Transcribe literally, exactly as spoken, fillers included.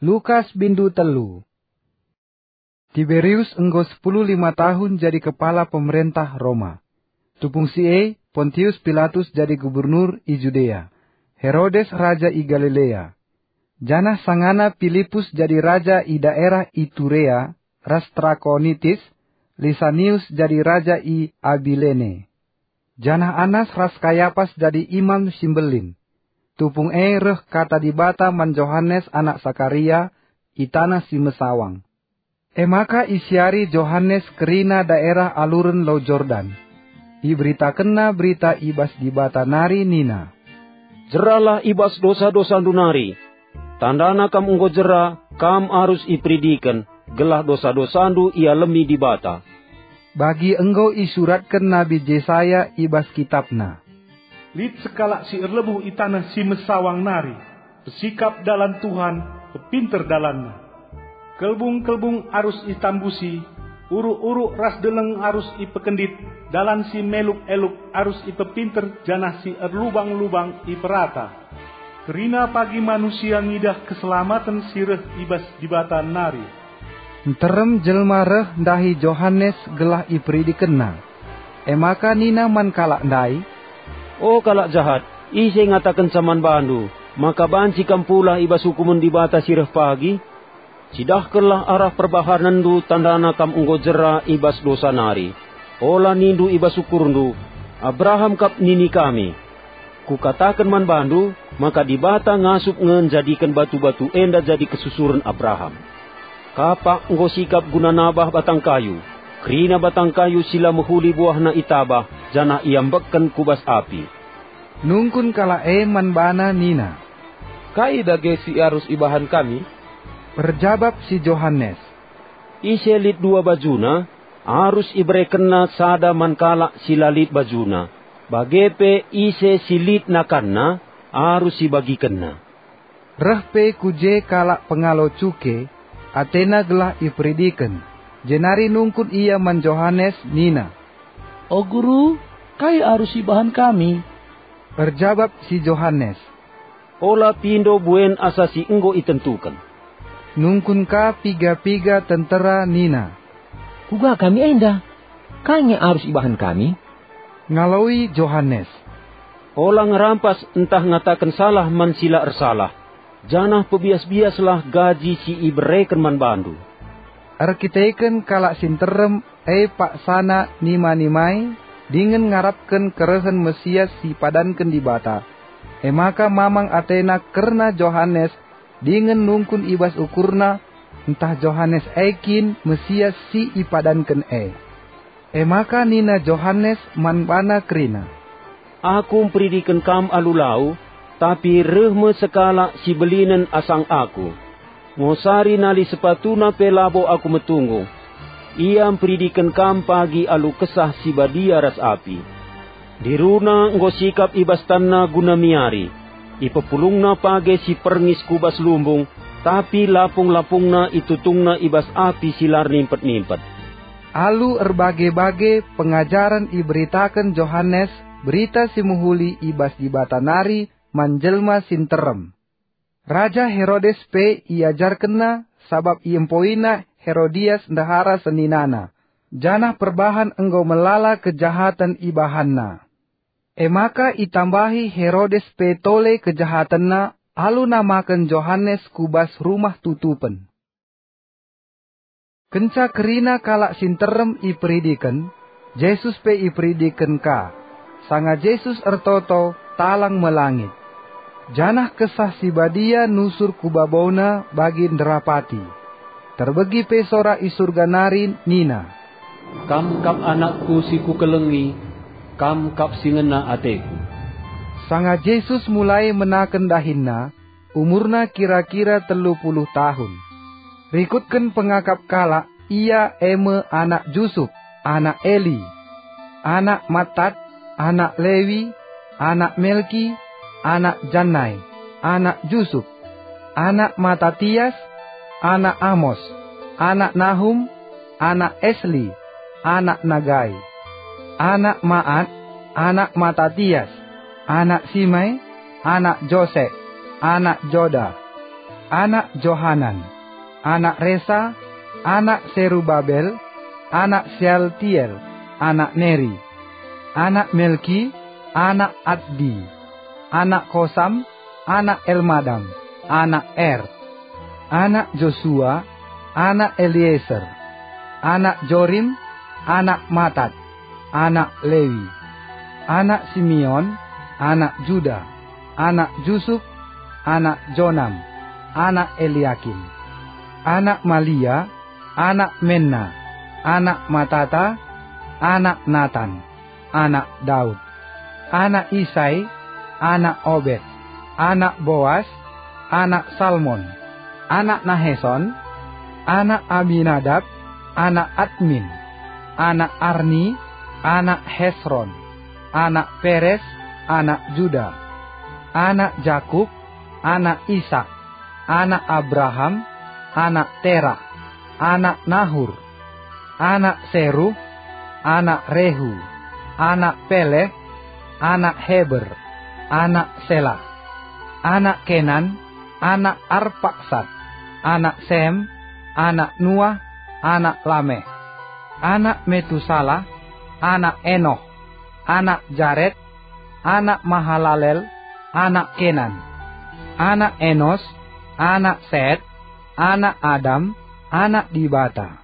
Lukas bindu telu. Tiberius enggo sepuluh lima tahun jadi kepala pemerentah Roma. Tupung si e, Pontius Pilatus jadi gubernur i Judea, Herodes raja i Galilea, janah sangana Pilipus jadi raja i daerah Iturea, ras Trakonitis, Lisanius jadi raja i Abilene, janah Anas ras Kayapas jadi imam si mbelin. Tupung e reh kata Dibata man Johanes anak Sakaria i taneh si mesawang. E maka isiari Johanes kerina daerah aluren Lau Jordan. Iberitakenna berita i bas Dibata nari nina, "Jeralah i bas dosa-dosandu nari. Tandana kam enggo jera, kam arus iperidiken, gelah dosa-dosandu ialemi Dibata." Bagi enggo isuratken Nabi Jesaya i bas kitapna, "Lit sekalak si erlebuh i taneh si mesawang nari, pesikap dalan Tuhan, pepinter dalanNa. Kelbung-kelbung arus itambusi, uruk-uruk ras deleng arus ipekendit, dalan si meluk-eluk arus ipepinter janah si erlubang-lubang iperata." Kerina pagi manusia ngidah keselamaten si reh i bas Dibata nari. Nterem jelma reh ndahi Johanes gelah iperidikenna. E maka nina man kalak ndai, "O kalak jahat, ise ngatakenca man bandu maka banci kam pulah i bas ukumen Dibata si reh pagi? Cidahkenlah arah perbahanenndu, tandana kam enggo jera i bas dosa nari. Ola nindu i bas ukurndu, 'Abraham kap nini kami.' Kukataken man bandu maka Dibata ngasup nge njadiken batu-batu enda jadi kesusuren Abraham. Kapak enggo sikap guna nabah batang kayu, kerina batang kayu si la mehuli buahna itabah janah iambekken ku bas api." Nungkun kalak e man bana nina, "Kai dage si arus ibahan kami?" Erjabap si Johanes, "Ise lit dua bajuna, arus iberekenna sada man kalak si la lit bajuna, bage pe ise si lit nakanna, arus ibagikenna." Reh pe ku je kalak pengalo cuke, atena gelah iperidiken, jenari nungkun ia man Johanes nina, "O Guru, kai arus ibahan kami?" Erjabap si Johanes, "Ola pindo buen asa si enggo itentuken." Nungkun ka piga-piga tentera nina, "Kuga kami enda? Kai nge arus ibahan kami?" Ngaloi Johanes, "Ola ngerampas ntah ngataken salah man si la ersalah, janah pebias-biaslah gaji si ibereken man bandu." Erkiteken kalak si nterem e paksana nima-nimai dingen ngarapken kerehen Mesias si ipadanken Dibata. E maka mamang atena kerna Johanes dingen nungkun i bas ukurna ntah Johanes e kin Mesias si ipadanken e. E maka nina Johanes man bana kerina, "Aku mperidiken kam alu lau, tapi reh me sekalak si belinen asang aku. Ngosari nali sepatuna pe labo aku metunggung. Ia mperidiken kam pagi alu Kesah Si Badia ras api. Diruna enggo sikap i bas tanna guna miari. Ipepulungna page si perngis ku bas lumbung, tapi lapung-lapungna itutungna i bas api si la ernimpet-nimpet." Alu erbage-bage pengajaren iberitaken Johanes Berita Si Mehuli i bas Dibata nari man jelma si nterem. Raja Herodes pe iajarkenna, sabap iempoina Herodias ndehara seninana, janah perbahan enggo melala kejahaten ibahanna. E maka itambahi Herodes pe tole kejahatenna alu namaken Johanes ku bas rumah tutupen. Kenca kerina kalak si nterem iperidiken, Jesus pe iperidiken ka. Sanga Jesus ertoto, talang me langit, janah Kesah Si Badia nusur ku babona bagi nderapati. Terbegi pe sora i Surga nari nina, "Kam kap AnakKu si Kukelengi, Kam kap si ngena ateKu." Sanga Jesus mulai menaken dahinNa, umurna kira-kira telu puluh tahun. Rikutken pengakap kalak, ia e me anak Jusup, anak Eli, anak Matat, anak Lewi, anak Melki, anak Jannai, anak Jusup, anak Matatias, anak Amos, anak Nahum, anak Esli, anak Nagai, anak Maat, anak Matatias, anak Simei, anak Jose, anak Joda, anak Johanan, anak Resa, anak Serubabel, anak Sealtiel, anak Neri, anak Melki, anak Addi, anak Kosam, anak Elmadam, anak Er, anak Josua, anak Elieser, anak Jorim, anak Matat, anak Lewi, anak Simeon, anak Juda, anak Jusup, anak Jonam, anak Eliakim, anak Malia, anak Menna, anak Matata, anak Natan, anak Daud, anak Isai, anak Obed, anak Boas, anak Salmon, anak Naheson, anak Abinadab, anak Admin, anak Arni, anak Hesron, anak Peres, anak Juda, anak Jakup, anak Isak, anak Abraham, anak Terah, anak Nahur, anak Seruh, anak Rehu, anak Peleh, anak Heber, anak Selah, anak Kenan, anak Arpaksad, anak Sem, anak Nuah, anak Lameh, anak Metusalah, anak Enoh, anak Jared, anak Mahalalel, anak Kenan, anak Enos, anak Set, anak Adam, anak Dibata.